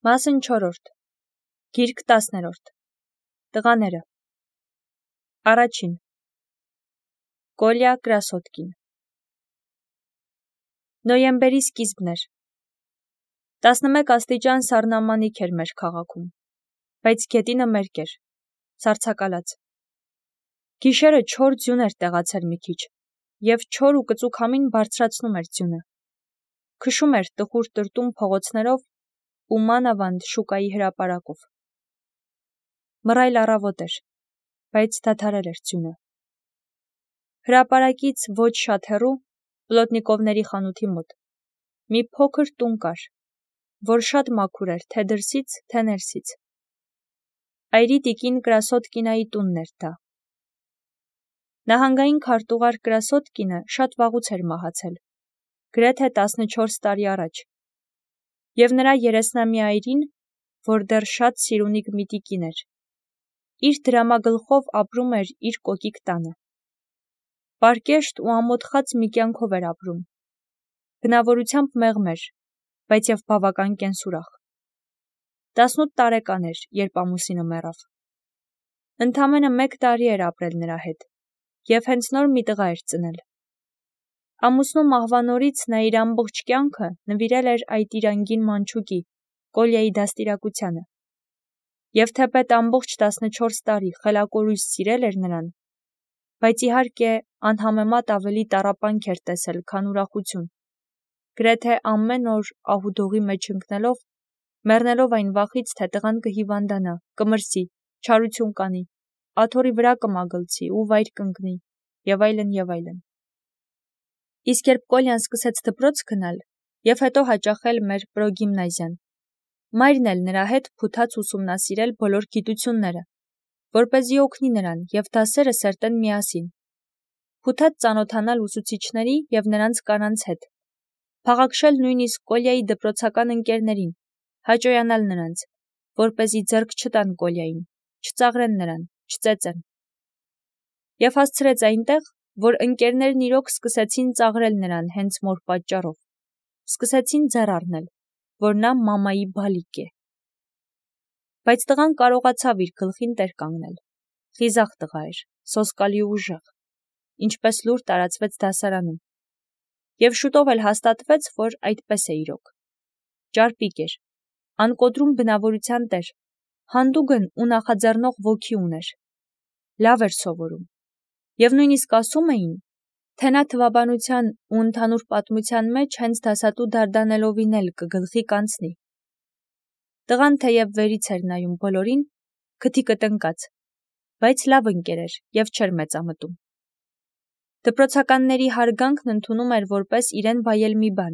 Մասն 4. Գիրք 10. Տղաները. Առաջին. Կոլյա Կրասոտկին. Նոյեմբերի սկիզբն էր. 11 աստիճան սառնամանիք էր մեր քաղաքում, բայց գետինը մերկ էր, սառցակալած. Գիշերը չոր ձյուն էր տեղացել մի քիչ, և չոր ու կծու քամին բարձրացնում էր ձյունը, քշում էր տխուր տրտում փողոցներով ու մանավանդ շուկայի հրապարակով. մռայլ առավոտ էր, բայց դադարել էր ձյունը. հրապարակից ոչ շատ հեռու, Պլոտնիկովների խանութի մոտ, մի փոքր տուն կար, որ շատ մաքուր էր թե դրսից, թե ներսից. այրի տիկին Կրասոտկինայի տունն էր դա. նահանգային քարտուղար Կրասոտկինը շատ վաղուց էր մահացել, գրեթե 14 տարի առաջ, և նրա 30-ամյա այրին, որ դեռ շատ սիրունիկ մի տիկին էր, իր դրամագլխով ապրում էր իր կոկիկ տանը. պարկեշտ ու ամոթխած մի կյանքով էր ապրում, բնավորությամբ մեղմ էր, բայց և բավական կենսուրախ. 18 տարեկան էր, երբ ամուսինը մեռավ. ընդամենը 1 տարի էր ապրել նրա հետ, և հենց նոր մի տղա էր ծնել. ամուսնու մահվանորից նա իր ամբողջ կյանքը նվիրել էր այդ իր անգին մանչուկի, Կոլյայի դաստիարակությանը, և թեպետ ամբողջ 14 տարի խելակորույս սիրել էր նրան, բայց իհարկե անհամեմատ ավելի տառապանք էր տեսել, քան ուրախություն, գրեթե ամեն օր ահուդողի մեջ ընկնելով, մեռնելով այն վախից, թե տղան կհիվանդանա, կմրսի, չարություն կանի, աթոռի վրա կմագլցի ու վայր կընկնի, և այլն, և այլն. Իսկ երբ Կոլյան սկսեց դպրոց գնալ և հետո հաճախել մեր պրոգիմնազիան, մայրն էլ նրա հետ փութաց ուսումնասիրել բոլոր գիտությունները, որպեսզի օգնի նրան և դասերը սերտեն միասին, փութաց ծանոթանալ ուսուցիչների և նրանց կանանց հետ, փաղաքշել նույնիսկ Կոլյայի դպրոցական ընկերներին, հաճոյանալ նրանց, որպեսզի ձեռք չտան Կոլյային, չծաղրեն նրան, չծեծեն. և հասցրեց այնտեղ, որ ընկերներն իրոք սկսեցին ծաղրել նրան հենց մոր պատճառով, սկսեցին ձեռ առնել, որ նա մամայի բալիկ է. բայց տղան կարողացավ իր գլխին տեր կանգնել, խիզախ տղա էր, սոսկալի ու ուժեղ, ինչպես լուր տարածվեց դասարանում, և շուտով էլ հաստատվեց, որ այդպես է իրոք. ճարպիկ էր, անկոտրում բնավորության տեր, հանդուգն ու նախաձեռնող ոգի ուներ, լավ էր սովորում, և նույնիսկ ասում էին, թե նա թվաբանության ու ընդհանուր պատմության մեջ հենց դասատու դարդանելով էլ կգլխի կանցնի. տղան թեև վերից էր նայում բոլորին, քթի կտնկած, բայց լավ ընկեր էր և չէր մեծամտում. դպրոցականների հարգանքն ընդունում էր որպես իրեն վայել մի բան,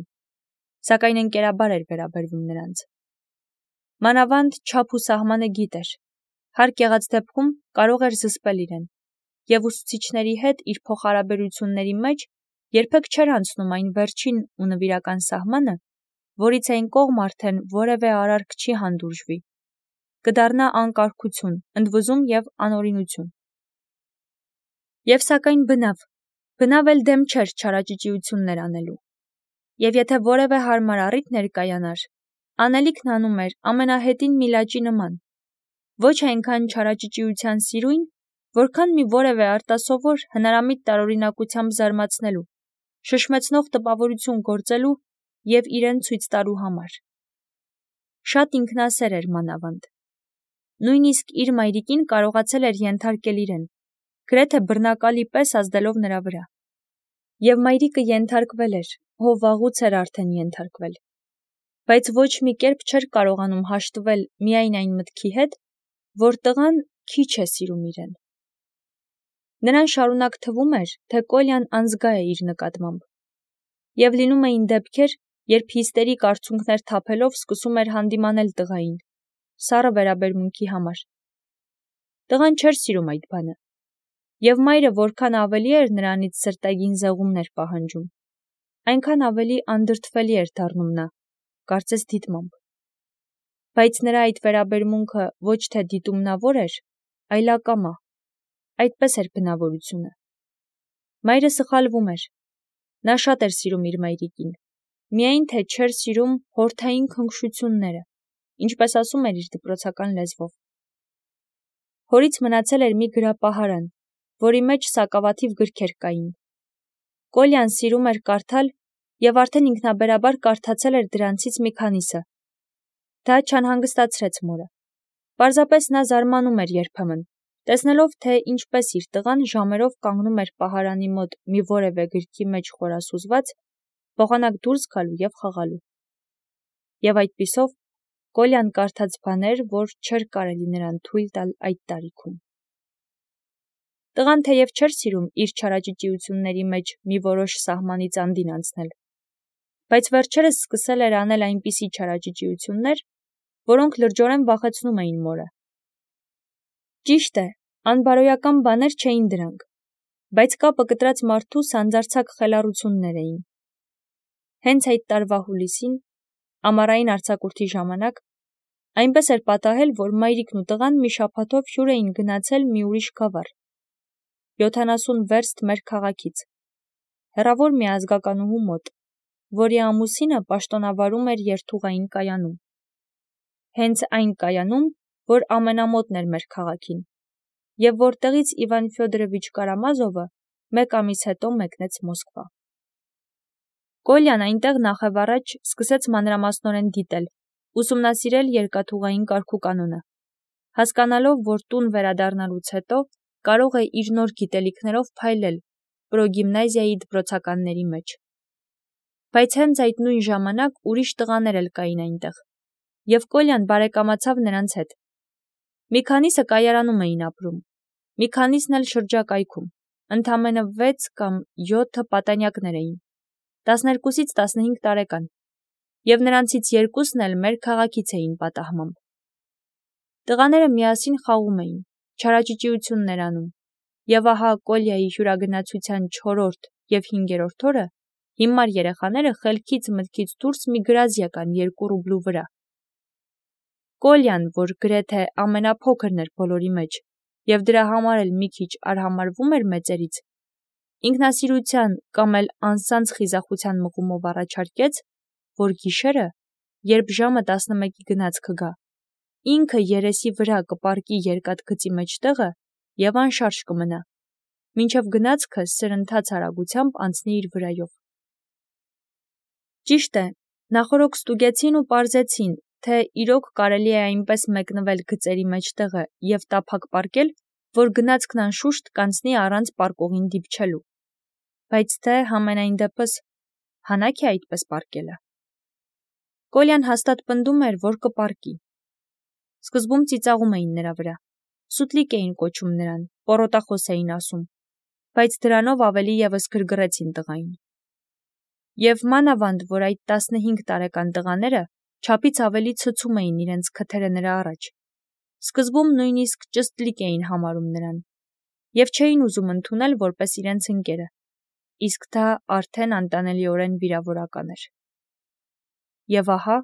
սակայն ընկերաբար էր վերաբերվում նրանց. մանավանդ չափ ու սահմանը գիտեր, հարկ եղած դեպքում կարող էր զսպել իրեն, և ուսուցիչների հետ իր փոխհարաբերությունների մեջ երբեք չէր անցնում այն վերջին ու նվիրական սահմանը, որից այն կողմ արդեն որևէ արարք չի հանդուրժվի, կդառնա անկարգություն, ընդվզում և անօրինություն. և սակայն բնավ էլ դեմ չէր չարաճճիություններ անելու, և եթե որևէ հարմար առիթ ներկայանար, անելիքն անում էր ամենահետին մի լաճի նման, ոչ այնքան չարաճճիության սիրույն, որքան մի որևէ արտասովոր հնարամիտ տարօրինակությամբ զարմացնելու, շշմեցնող տպավորություն գործելու և իրեն ցույց տալու համար. շատ ինքնասեր էր մանավանդ, նույնիսկ իր մայրիկին կարողացել էր ենթարկել իրեն, գրեթե բռնակալի պես ազդելով նրա վրա, և մայրիկը ենթարկվել էր, վաղուց էր արդեն ենթարկվել, բայց ոչ մի կերպ չէր կարողանում հաշտվել միայն այն մտքի հետ, որ տղան քիչ է սիրում իրեն. նրան շարունակ թվում էր, թե Կոլյան անզգա է իր նկատմամբ, և լինում էին դեպքեր, երբ հիստերիկ արցունքներ թափելով սկսում էր հանդիմանել տղային, սառը վերաբերմունքի համար. տղան չէր սիրում այդ բանը, և մայրը որքան ավելի էր նրանից սրտագին զեղումներ պահանջում, այնքան ավելի անդրդվելի էր դառնում նա, կարծես դիտմամբ. բայց նրա այդ վերաբերմունքը ոչ թե դիտումնավոր էր, այլ ակամա, այդպես էր բնավորությունը. մայրը սխալվում էր, նա շատ էր սիրում իր մայրիկին, միայն թե չէր սիրում հորթային քնքշությունները ինչպես ասում էր իր դպրոցական լեզվով։ Հորից մնացել էր մի գրապահարան, որի մեջ սակավաթիվ գրքեր կային։ Կոլյան սիրում էր կարդալ և արդեն ինքնաբերաբար կարդացել էր դրանցից մի քանիսը։ Դա չանհանգստացրեց մորը։ Պարզապես նա զարմանում էր երբեմն, տեսնելով, թե ինչպես իր տղան ժամերով կանգնում էր պահարանի մոտ մի որևէ գրքի մեջ խորասուզված, փոխանակ դուրս գալու և խաղալու։ Եվ այդպիսով Կոլյան կարդաց բաներ, որ չէր կարելի նրան թույլ տալ այդ տարիքում։ Տղան թեև չէր սիրում իր չարաճճիությունների մեջ մի որոշ սահմանից անդին անցնել, բայց վերջերս սկսել էր անել այնպիսի չարաճճիություններ, որոնք լրջորեն վախեցնում էին մորը։ Ճիշտ է, անբարոյական բաներ չէին դրանք, բայց կապը կտրած մարդու սանձարձակ խելառություններ էին։ Հենց այդ տարվա հուլիսին, ամառային արձակուրդի ժամանակ, այնպես էր պատահել, որ մայրիկն ու տղան մի շաբաթով հյուր էին գնացել մի ուրիշ գավառ, 70 վերստ մեր քաղաքից, հեռավոր մի ազգականուհու մոտ, որի ամուսինը պաշտոնավարում էր երթուղային կայանում։ Հենց այն կայանում, որ ամենամոտն էր մեր քաղաքին, և որտեղից Իվան Ֆյոդորովիչ Կարամազովը մեկ ամիս հետո մեկնեց Մոսկվա։ Կոլյան այնտեղ նախևառաջ սկսեց մանրամասնորեն դիտել, ուսումնասիրել երկաթուղային կարգուկանոնը, հասկանալով, որ տուն վերադառնալուց հետո կարող է իր նոր գիտելիքներով փայլել պրոգիմնազիայի դպրոցականների մեջ։ Բայց հենց այդ նույն ժամանակ ուրիշ տղաներ էլ կային այնտեղ, և Կոլյան բարեկամացավ նրանց հետ։ Մի քանիսը կայարանում էին ապրում, մի քանիսն էլ շրջակայքում, ընդամենը 6 կամ 7 պատանյակներ էին, 12-ից 15 տարեկան, և նրանցից երկուսն էլ մեր քաղաքից էին պատահմամբ։ Տղաները միասին խաղում էին, չարաճճիություններ անում, և ահա Կոլյայի հյուրագնացության 4-րդ և 5-րդ օրը հիմար երեխաները խելքից մտքից դուրս մի գրազ եկան 2 ռուբլու վրա։ Կոլյան, որ գրեթե ամենափոքրն էր բոլորի մեջ, և դրա համար էլ մի քիչ արհամարհվում էր մեծերից, ինքնասիրության կամ էլ անձանց խիզախության մղումով առաջարկեց, որ գիշերը, երբ ժամը 11-ի գնացքը գա, ինքը երեսի վրա կպառկի երկաթգծի մեջտեղը և անշարժ կմնա, մինչև գնացքը սրընթաց արագությամբ անցնի իր վրայով։ Ճիշտ է, նախօրոք ստուգեցին ու պարզեցին, թե իրոք կարելի է այնպես մեկնվել գծերի մեջտեղը և տափակ պառկել, որ գնացքն անշուշտ կանցնի առանց պառկողին դիպչելու, բայց թե համենայն դեպս հանաք է այդպես պառկելը։ Կոլյան հաստատ պնդում էր, որ կպառկի։ Սկզբում ծիծաղում էին նրա վրա, սուտլիկ էին կոչում նրան, պոռոտախոս էին ասում, բայց դրանով ավելի ևս գրգռեցին տղային։ Եվ մանավանդ, որ այդ 15 տարեկան տղաները չափից ավելի ցցում էին իրենց քթերը նրա առաջ, սկզբում նույնիսկ ճստլիկ էին համարում նրան, և չէին ուզում ընդունել որպես իրենց ընկերը, իսկ դա արդեն անտանելիորեն վիրավորական էր։ Եվ ահա,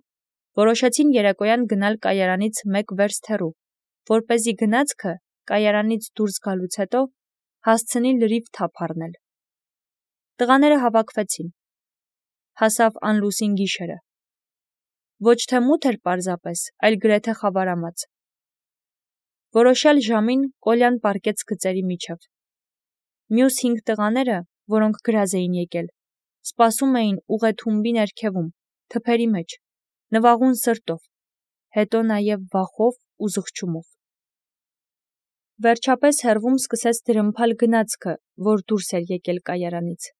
որոշեցին երեկոյան գնալ կայարանից 1 վերստ հեռու, որպեսզի գնացքը կայարանից դուրս գալուց հետո հասցնի լրիվ թափ առնել։ Տղաները հավաքվեցին։ Հասավ անլուսին գիշերը։ Ոչ թե մութ էր պարզապես, այլ գրեթե խավարամած։ Որոշյալ ժամին Կոլյան պառկեց գծերի միջև։ Մյուս 5 տղաները, որոնք գրազ էին եկել, սպասում էին ուղեթումբի ներքևում, թփերի մեջ, նվաղուն սրտով, հետո նաև վախով ու զղջումով։ Վերջապես հեռվում սկսեց դրդմփալ գնացքը, որ դուրս էր եկել կայարանից։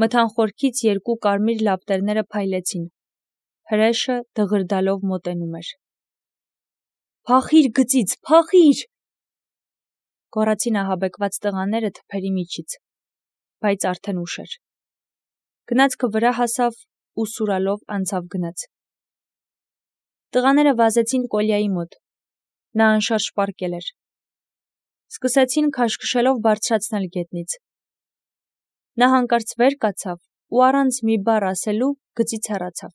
Մթան խորքից 2 կարմիր լապտերները փայլեցին, հրեշը դղրդալով մոտենում էր։ «Փախի՛ր գծից, փախի՛ր», գոռացին ահաբեկված տղաները թփերի միջից, բայց արդեն ուշ էր։ Գնացքը վրա հասավ ու սուրալով անցավ գնաց։ Տղաները վազեցին Կոլյայի մոտ, նա անշարժ պառկել էր։ Սկսեցին քաշքշելով բարձրացնել գետնից։ Նա հանկարծ վեր կացավ ու առանց մի բառ ասելու գծից հեռացավ։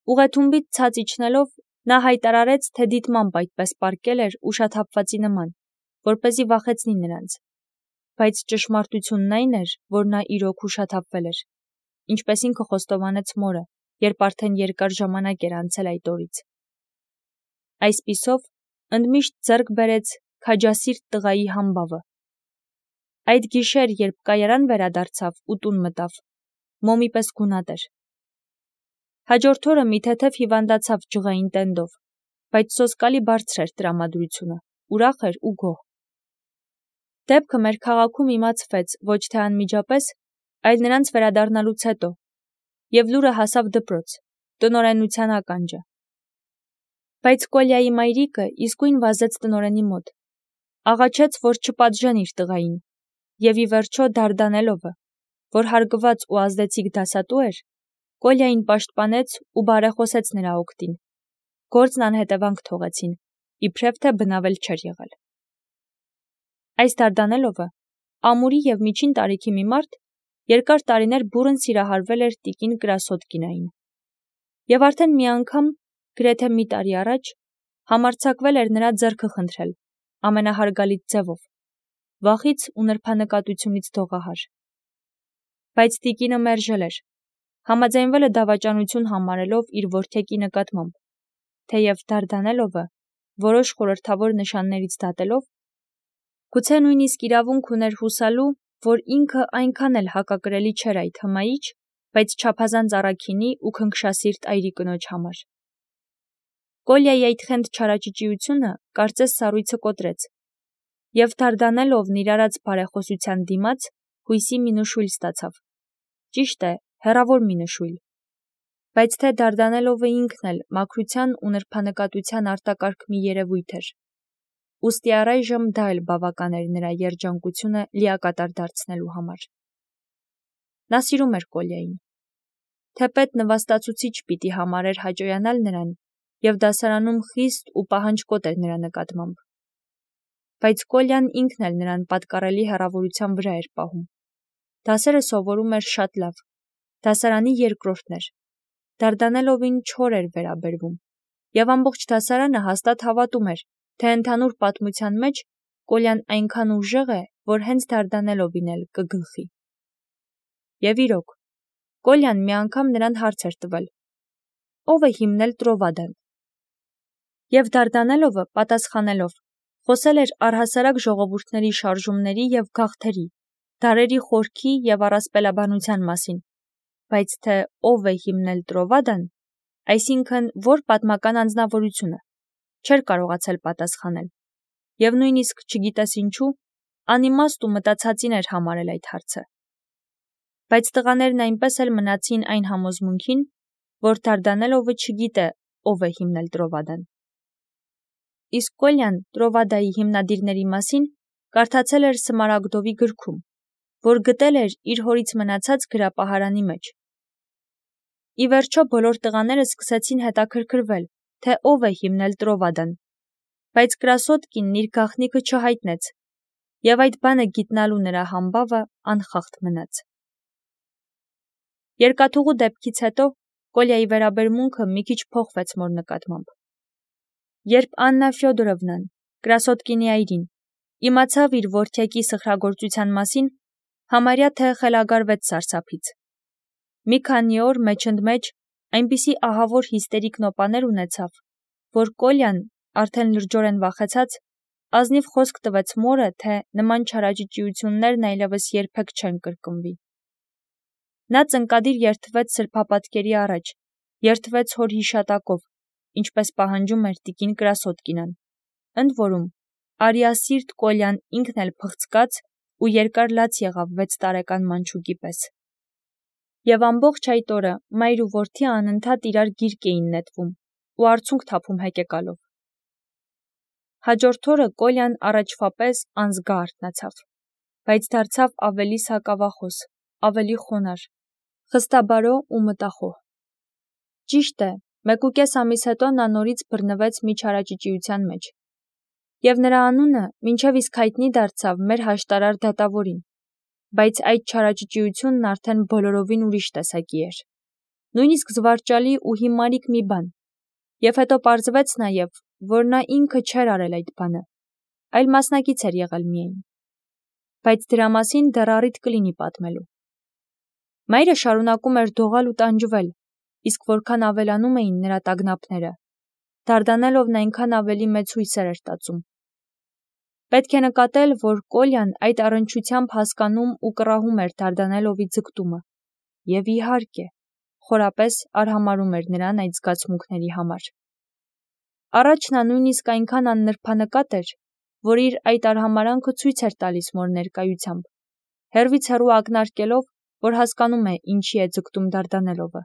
Ուղեթումբից ցած իջնելով նա հայտարարեց, թե դիտմամբ այդպես պառկել էր ուշաթափվածի նման, որպեսզի վախեցնի նրանց, բայց ճշմարտությունն այն էր, որ նա իրոք ուշաթափվել էր, ինչպես ինքը խոստովանեց մորը, երբ արդեն երկար ժամանակ էր անցել այդ օրից։ Այսպիսով, ընդմիշտ ձեռք բերեց քաջասիրտ տղայի համբավը։ Այդ գիշեր, երբ կայարան վերադարձավ ու տուն մտավ, մոմի պես գունատ էր։ Հաջորդ օրը մի թեթև հիվանդացավ ջղային տենդով, բայց սոսկալի բարձր էր տրամադրությունը, ուրախ էր ու գոհ։ Դեպքը մեր քաղաքում իմացվեց ոչ թե անմիջապես, այլ նրանց վերադառնալուց հետո, և լուրը հասավ դպրոց, տնօրենության ականջը։ Բայց Կոլյայի մայրիկը իսկույն վազեց տնօրենի մոտ, աղաչեց, որ չպատժեն իր տղային, և ի վերջո Դարդանելովը, որ հարգված ու ազդեցիկ դասատու էր, Կոլյային պաշտպանեց ու բարեխոսեց նրա օգտին, գործն անհետևանք թողեցին, իբրև թե բնավել չէր եղել։ Այս Դարդանելովը, ամուրի և միջին տարիքի մի մարդ, երկար տարիներ բուռն սիրահարվել էր տիկին Կրասոտկինային, և արդեն մի անգամ, գրեթե մի տարի առաջ, համարձակվել էր նրա ձեռքը խնդրել, ամենահարգալից ձևով, վախից ու նրբանկատությունից դողահար։ Բայց տիկինը մերժել էր, համաձայնվել է դավաճանություն համարելով իր որդեկի նկատմամբ, թեև Դարդանելովը, որոշ խորհրդավոր նշաններից դատելով, գուցե նույնիսկ իրավունք ուներ հուսալու, որ ինքը այնքան էլ հակակրելի չէր այդ հմայիչ, բայց չափազանց առաքինի ու քնքշասիրտ այրի կնոջ համար։ Կոլյայի այդ խենթ չարաճճիությունը կարծես սառույցը կոտրեց, և Դարդանելովն իր արած բարեխոսության դիմաց հույսի մի նշույլ ստացավ, ճիշտ է, հեռավոր մի նշույլ, բայց թե Դարդանելովը ինքն էլ մաքրության ու նրբանկատության արտակարգ մի երևույթ էր, ուստի առայժմ դա էլ բավական էր նրա երջանկությունը լիակատար դարձնելու համար։ Նա սիրում էր Կոլյային, թեպետ նվաստացուցիչ պիտի համարեր հաճոյանալ նրան և դասարանում խիստ ու պահանջկոտ էր նրա նկատմամբ, բայց Կոլյան ինքն էլ նրան պատկառելի հեռավորության վրա էր պահում։ Դասերը սովորում էր շատ լավ, դասարանի երկրորդն էր, Դարդանելովին չոր էր վերաբերվում, և ամբողջ դասարանը հաստատ հավատում էր, թե ընդհանուր պատմության մեջ Կոլյան այնքան ուժեղ է, որ հենց Դարդանելովին էլ կգլխի։ Եվ իրոք, Կոլյան մի անգամ նրան հարց էր տվել. ով է հիմնել Տրովադան։ Եվ Դարդանելովը, պատասխանելով, խոսել էր առհասարակ ժողովուրդների շարժումների և գաղթերի, դարերի խորքի և առասպելաբանության մասին, բայց թե ով է հիմնել Տրովադան, այսինքն որ պատմական անձնավորությունը, չէր կարողացել պատասխանել, և նույնիսկ չգիտես ինչու, անիմաստ ու մտածածին էր համարել այդ հարցը։ Բայց տղաներն այնպես էլ մնացին այն համոզմունքին, որ Դարդանելովը չգիտե ով է հիմնել Տրովադան։ Իսկ Կոլյան Տրովադայի հիմնադիրների մասին կարդացել էր Սմարագդովի գրքում, որ գտել էր իր հորից մնացած գրապահարանի մեջ։ Ի վերջո բոլոր տղաները սկսեցին հետաքրքրվել, թե ով է հիմնել Տրովադան, բայց Կրասոտկինն իր գաղտնիքը չհայտնեց, և այդ բանը գիտնալու նրա համբավը անխախտ մնաց։ Երկաթուղու դեպքից հետո Կոլյայի վերաբերմունքը մի քիչ փոխվեց մոր նկատմամբ։ Երբ Աննա Ֆյոդորովնան, Կրասոտկինի այրին, իմացավ իր որդյակի սխրագործության մասին, համարյա թե խելագարվեց սարսափից։ Մի քանի օր մեջընդմեջ այնպիսի ահավոր հիստերիկ նոպաներ ունեցավ, որ Կոլյան, արդեն լրջորեն վախեցած, ազնիվ խոսք տվեց մորը, թե նման չարաճճիություններն այլևս երբեք չեն կրկնվի։ Նա ծնկադիր երդվեց սրբապատկերի առաջ, երդվեց հոր հիշատակով, ինչպես պահանջում էր տիկին Կրասոտկինան, ընդ որում, արիասիրտ Կոլյան ինքն էլ փղցկաց ու երկար լաց եղավ 6 տարեկան մանչուկի պես։ Եվ ամբողջ այդ օրը մայր ու որդի անընդհատ իրար գիրկ էին նետվում ու արցունք թափում հեկեկալով։ Հաջորդ օրը Կոլյան առաջվա պես անզգա արթնացավ, բայց դարձավ ավելի սակավախոս, ավելի խոնարհ, խստաբարո ու մտախոհ։ Ճիշտ է, 1.5 ամիս հետո նա նորից բռնվեց մի չարաճճիության մեջ, և նրա անունը մինչև իսկ հայտնի դարձավ մեր հաշտարար դատավորին, բայց այդ չարաճճիությունն արդեն բոլորովին ուրիշ տեսակի էր, նույնիսկ զվարճալի ու հիմարիկ մի բան, և հետո պարզվեց նաև, որ նա ինքը չէր արել այդ բանը, այլ մասնակից էր եղել միայն, բայց դրա մասին դեռ առիթ կլինի պատմելու։ Մայրը շարունակում էր դողալ ու տանջվել, իսկ որքան ավելանում էին նրա տագնապները, Դարդանելովն այնքան ավելի մեծ հույսեր էր տածում։ Պետք է նկատել, որ Կոլյան այդ առնչությամբ հասկանում ու կռահում էր Դարդանելովի ձգտումը, և իհարկե, խորապես արհամարհում էր նրան այդ զգացմունքների համար։ Առաջ նա նույնիսկ այնքան աննրբանկատ էր, որ իր այդ արհամարանքը ցույց էր տալիս մոր ներկայությամբ, հեռվից հեռու ակնարկելով, որ հասկանում է ինչի է ձգտում Դարդանելովը։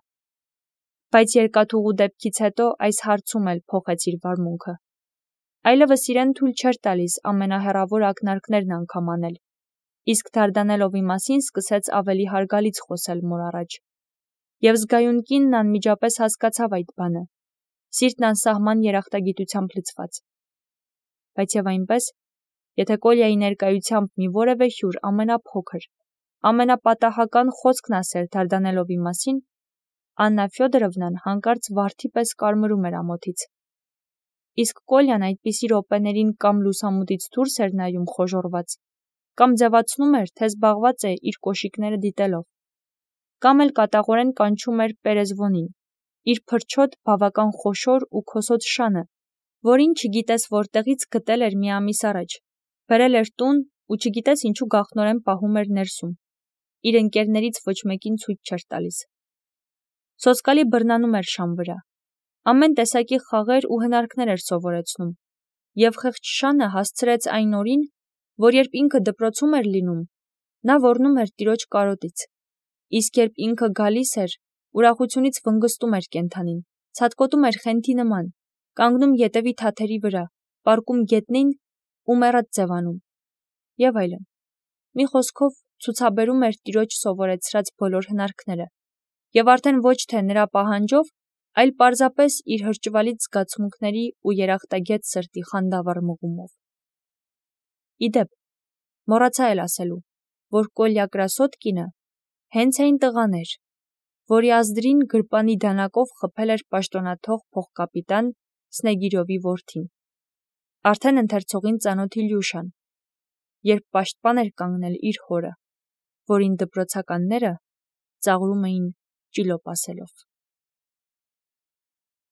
Բայց երկաթուղու դեպքից հետո այս հարցում էլ փոխեց իր վարմունքը։ Այլևս իրեն թույլ չէր տալիս ամենահեռավոր ակնարկներն անգամ անել, իսկ Դարդանելովի մասին սկսեց ավելի հարգալից խոսել մոր առաջ։ Եվ զգայուն կինն անմիջապես հասկացավ այդ բանը, սիրտն անսահման երախտագիտությամբ լցված։ Բայց եւ այնպես, եթե Կոլյայի ներկայությամբ մի որևէ հյուր ամենափոքր, ամենապատահական խոսքն ասեր Դարդանելովի մասին, Աննա Ֆյոդորովնան հանկարծ վարդի պես կարմրում էր ամոթից։ Իսկ Կոլյան այդպիսի րոպեներին կամ լուսամուտից դուրս էր նայում խոժոռված, կամ ձևացնում էր, թե զբաղված է իր կոշիկները դիտելով, կամ էլ կատաղորեն կանչում էր Պերեզվոնին, իր փրչոտ բավական խոշոր ու քոսոտ շանը, որին չգիտես որտեղից գտել էր մի ամիս առաջ, բերել էր տուն ու չգիտես ինչու գաղտնորեն պահում էր ներսում, իր ընկերներից ոչ մեկին ցույց չէր տալիս։ Սոսկալի բռնանում էր շան վրա, ամեն տեսակի խաղեր ու հնարքներ էր սովորեցնում, և խեղճ շանը հասցրեց այն օրին, որ երբ ինքը դպրոցում էր լինում, նա ոռնում էր տիրոջ կարոտից, իսկ երբ ինքը գալիս էր, ուրախությունից վնգստում էր կենդանին, ցատկոտում էր խենթի նման, կանգնում ետևի թաթերի վրա, պառկում գետնին ու մեռած ձևանում, և այլն։ Մի խոսքով ցուցաբերում էր տիրոջ սովորեցրած բոլոր հնարքները, և արդեն ոչ թե նրա պահանջով, այլ պարզապես իր հրճվալից զգացմունքների ու երախտագետ սրտի խանդավառ մղումով։ Իդեպ, մոռացա էլ ասելու, որ Կոլյա Կրասոտկինը հենց այն տղան էր, որի ազդրին գրպանի դանակով խփել էր պաշտոնաթող փոխկապիտան Սնեգիրովի որդին, արդեն ընթերցողին ծանոթ Իլյուշան, երբ պաշտպան էր կանգնել իր հորը, որին դպրոցականները ծաղրում էին ճիլոպ ասելով։